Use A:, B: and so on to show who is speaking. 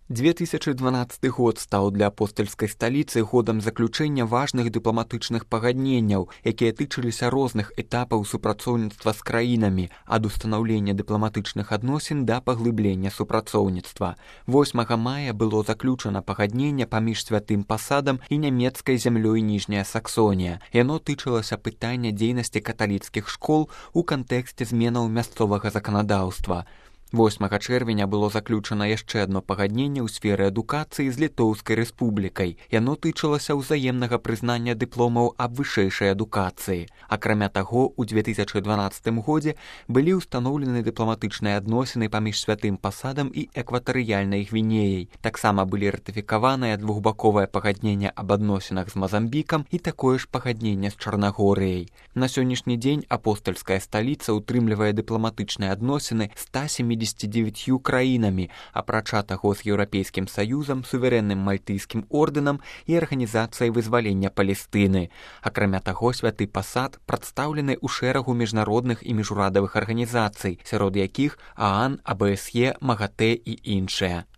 A: 2012 год стаў для апостальскай сталіцы годам заключэння важных дыпламатычных пагадненняў, якія тычыліся розных этапаў супрацоўніцтва з краінамі, ад устанаўлення дыпламатычных адносін да паглыблення супрацоўніцтва. 8 мая было заключана пагадненне паміж святым пасадам і нямецкай зямлёй Ніжняя Саксонія. Яно тычылася пытання дзейнасці каталіцкіх школ у кантэксце зменаў мясцовага заканадаўства. 8 чэрвеня было заключана яшчэ адно пагадненне ў сферы адукацыі з Літоўскай рэспублікай. Яно тычылася ўзаемнага прызнання дыпломаў аб вышэйшай адукацыі. Акрамя таго, у 2012 годзе былі ўстаноўлены дыпламатычныя адносіны паміж святым пасадам і экватарыяльнай Гвінеяй. Таксама былі ратыфікаваныя двухбаковае пагадненне аб адносінах з Мазамбікам і такое ж пагадненне з Чарнагорыяй. На сённяшні дзень апостальская сталіца утрымлівае дыпламатычныя адносіны з 179 краінамі, апрача таго з Еўрапейскім саюзам, суверэнным мальтыйскім ордэнам і арганізацыяй вызвалення Палестыны. Акрамя таго, святы пасад прадстаўлены ў шэрагу міжнародных і міжурадавых арганізацый, сярод якіх ААН, АБСЕ, МАГАТЭ і іншыя.